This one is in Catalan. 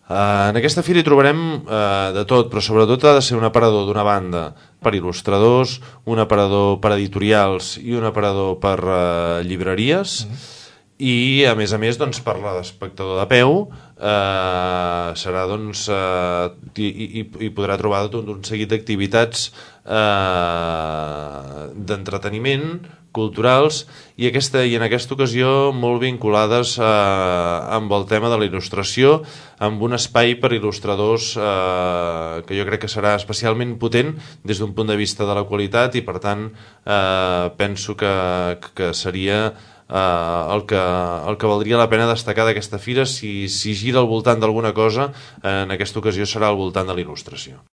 En aquesta fira hi trobarem de tot, però sobretot ha de ser un aparador d'una banda per il·lustradors, un aparador per editorials i un aparador per llibreries, i a més, doncs, per l'espectador de peu serà, doncs, i podrà trobar tot un seguit d'activitats d'entreteniment, culturals, i en aquesta ocasió molt vinculades amb el tema de la il·lustració, amb un espai per il·lustradors que jo crec que serà especialment potent des d'un punt de vista de la qualitat, i per tant penso que seria el que valdria la pena destacar d'aquesta fira. Si gira al voltant d'alguna cosa, en aquesta ocasió serà al voltant de la il·lustració.